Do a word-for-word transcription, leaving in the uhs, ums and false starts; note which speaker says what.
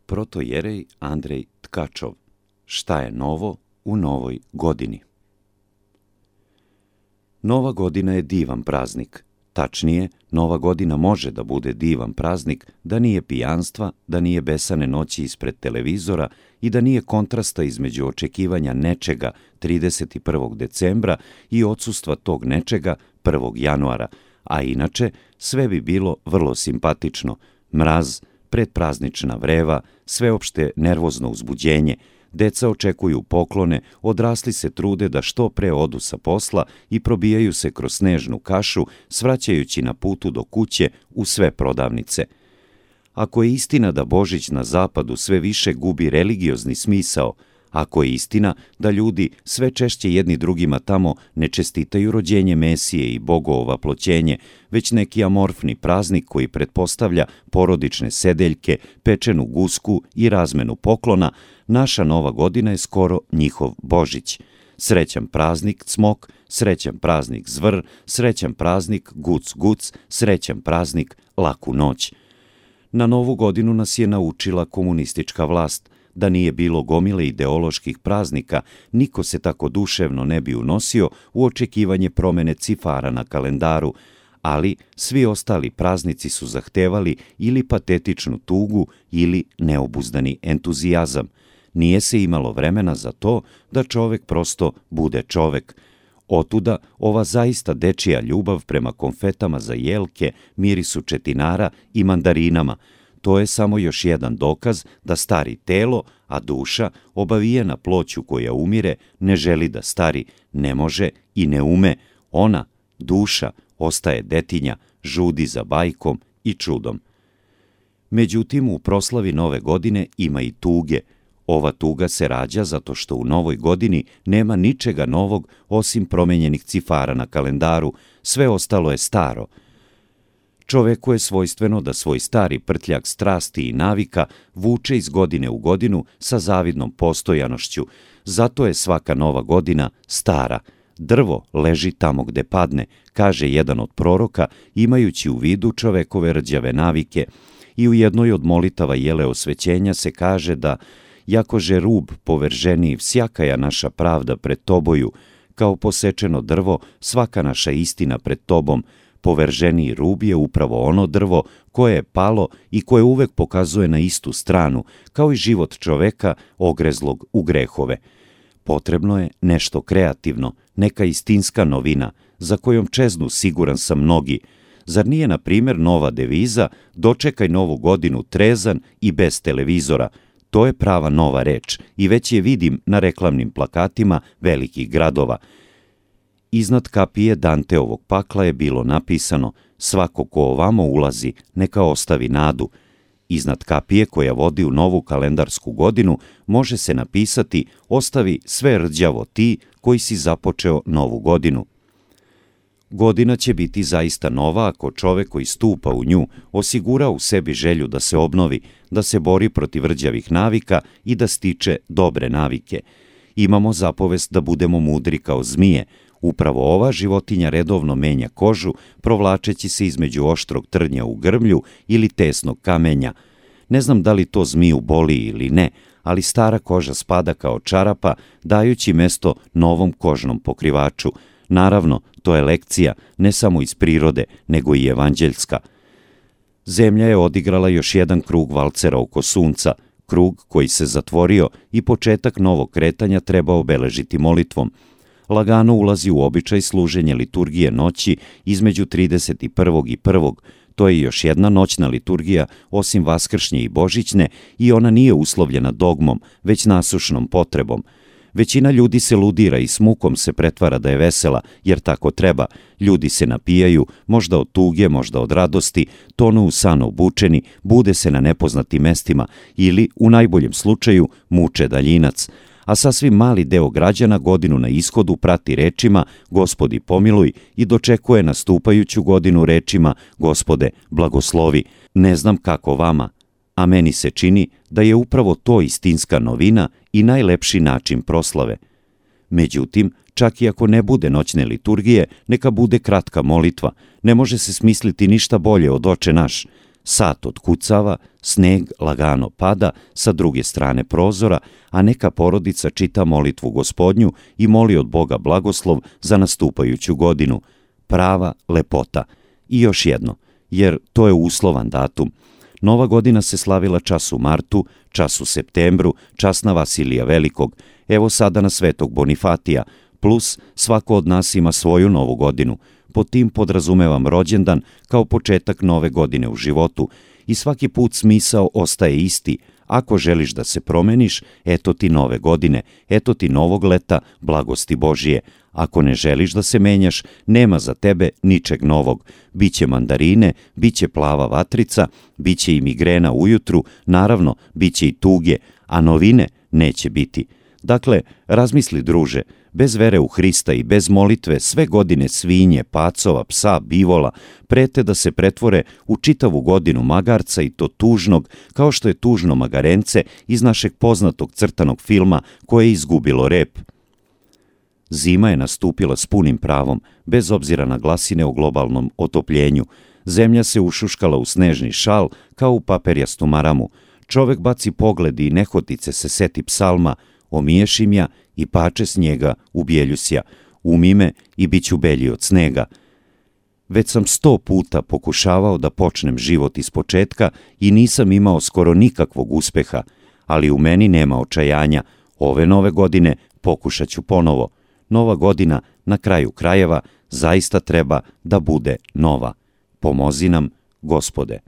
Speaker 1: Protojerej Andrej Tkačov. Šta je novo u novoj godini? Nova godina je divan praznik. Tačnije, Nova godina može da bude divan praznik da nije pijanstva, da nije besane noći ispred televizora i da nije kontrasta između očekivanja nečega trideset prvog decembra i odsustva tog nečega prvog januara, a inače sve bi bilo vrlo simpatično. Mraz, predpraznična vreva, sveopšte nervozno uzbuđenje, deca očekuju poklone, odrasli se trude da što pre odu sa posla i probijaju se kroz snežnu kašu, svraćajući na putu do kuće u sve prodavnice. Ako je istina da Božić na zapadu sve više gubi religiozni smisao, ako je istina da ljudi sve češće jedni drugima tamo ne čestitaju rođenje Mesije i Bogovo vaploćenje, već neki amorfni praznik koji pretpostavlja porodične sedeljke, pečenu gusku i razmenu poklona, naša Nova godina je skoro njihov Božić. Srećan praznik Cmok, srećan praznik Zvr, srećan praznik Guc Guc, srećan praznik Laku noć. Na Novu godinu nas je naučila komunistička vlast. Da nije bilo gomile ideoloških praznika, niko se tako duševno ne bi unosio u očekivanje promene cifara na kalendaru, ali svi ostali praznici su zahtevali ili patetičnu tugu ili neobuzdani entuzijazam. Nije se imalo vremena za to da čovek prosto bude čovek. Otuda ova zaista dečija ljubav prema konfetama za jelke, mirisu četinara i mandarinama. To je samo još jedan dokaz da stari telo, a duša, obavijena ploću koja umire, ne želi da stari, ne može i ne ume. Ona, duša, ostaje detinja, žudi za bajkom i čudom. Međutim, u proslavi Nove godine ima i tuge. Ova tuga se rađa zato što u Novoj godini nema ničega novog osim promenjenih cifara na kalendaru, sve ostalo je staro. Čoveku je svojstveno da svoj stari prtljak strasti i navika vuče iz godine u godinu sa zavidnom postojanošću. Zato je svaka Nova godina stara. Drvo leži tamo gde padne, kaže jedan od proroka, imajući u vidu čovekove rđave navike. I u jednoj od molitava jele osvećenja se kaže da jakože rub povrženi всякая naša pravda pred toboju, kao posečeno drvo svaka naša istina pred tobom, poverženiji rub je upravo ono drvo koje je palo i koje uvek pokazuje na istu stranu, kao i život čoveka ogrezlog u grehove. Potrebno je nešto kreativno, neka istinska novina, za kojom čeznu siguran sam mnogi. Zar nije, na primjer, nova deviza dočekaj Novu godinu trezan i bez televizora? To je prava nova reč i već je vidim na reklamnim plakatima velikih gradova. Iznad kapije Danteovog pakla je bilo napisano svako ko ovamo ulazi, neka ostavi nadu. Iznad kapije koja vodi u novu kalendarsku godinu može se napisati ostavi sve rđavo ti koji si započeo novu godinu. Godina će biti zaista nova ako čovek koji stupa u nju osigura u sebi želju da se obnovi, da se bori protiv rđavih navika i da stiče dobre navike. Imamo zapovest da budemo mudri kao zmije. Upravo ova životinja redovno menja kožu, provlačeći se između oštrog trnja u grmlju ili tesnog kamenja. Ne znam da li to zmiju boli ili ne, ali stara koža spada kao čarapa, dajući mesto novom kožnom pokrivaču. Naravno, to je lekcija ne samo iz prirode, nego i evanđeljska. Zemlja je odigrala još jedan krug valcera oko sunca, krug koji se zatvorio i početak novog kretanja treba obeležiti molitvom. Lagano ulazi u običaj služenje liturgije noći između trideset prvog i prvog. To je još jedna noćna liturgija, osim vaskršnje i božićne, i ona nije uslovljena dogmom, već nasušnom potrebom. Većina ljudi se ludira i s mukom se pretvara da je vesela, jer tako treba. Ljudi se napijaju, možda od tuge, možda od radosti, tonu u san obučeni, bude se na nepoznatim mestima ili, u najboljem slučaju, muče daljinac. A sasvim mali deo građana godinu na ishodu prati rečima Gospodi pomiluj i dočekuje nastupajuću godinu rečima Gospode blagoslovi. Ne znam kako vama, a meni se čini da je upravo to istinska novina i najlepši način proslave. Međutim, čak i ako ne bude noćne liturgije, neka bude kratka molitva. Ne može se smisliti ništa bolje od Oče naš. Sat otkucava, sneg lagano pada sa druge strane prozora, a neka porodica čita molitvu Gospodnju i moli od Boga blagoslov za nastupajuću godinu. Prava lepota. I još jedno, jer to je uslovan datum. Nova godina se slavila čas u martu, čas u septembru, čas na Vasilija Velikog, evo sada na Svetog Bonifatija, plus svako od nas ima svoju novu godinu. Pod tim podrazumevam rođendan kao početak nove godine u životu i svaki put smisao ostaje isti. Ako želiš da se promeniš, eto ti nove godine, eto ti novog leta, blagosti Božije. Ako ne želiš da se menjaš, nema za tebe ničeg novog. Biće mandarine, biće plava vatrica, biće i migrena ujutru, naravno, biće i tuge, a novine neće biti. Dakle, razmisli, druže, bez vere u Hrista i bez molitve sve godine svinje, pacova, psa, bivola prete da se pretvore u čitavu godinu magarca, i to tužnog, kao što je tužno magarence iz našeg poznatog crtanog filma koje je izgubilo rep. Zima je nastupila s punim pravom, bez obzira na glasine o globalnom otopljenju. Zemlja se ušuškala u snežni šal kao u paperjastu maramu. Čovek baci pogled i nehotice se seti psalma: omiješim ja i pače snijega ubjeljusja, umi me i bit ću belji od snega. Već sam sto puta pokušavao da počnem život iz početka i nisam imao skoro nikakvog uspeha, ali u meni nema očajanja. Ove nove godine pokušat ću ponovo. Nova godina, na kraju krajeva, zaista treba da bude nova. Pomozi nam, Gospode.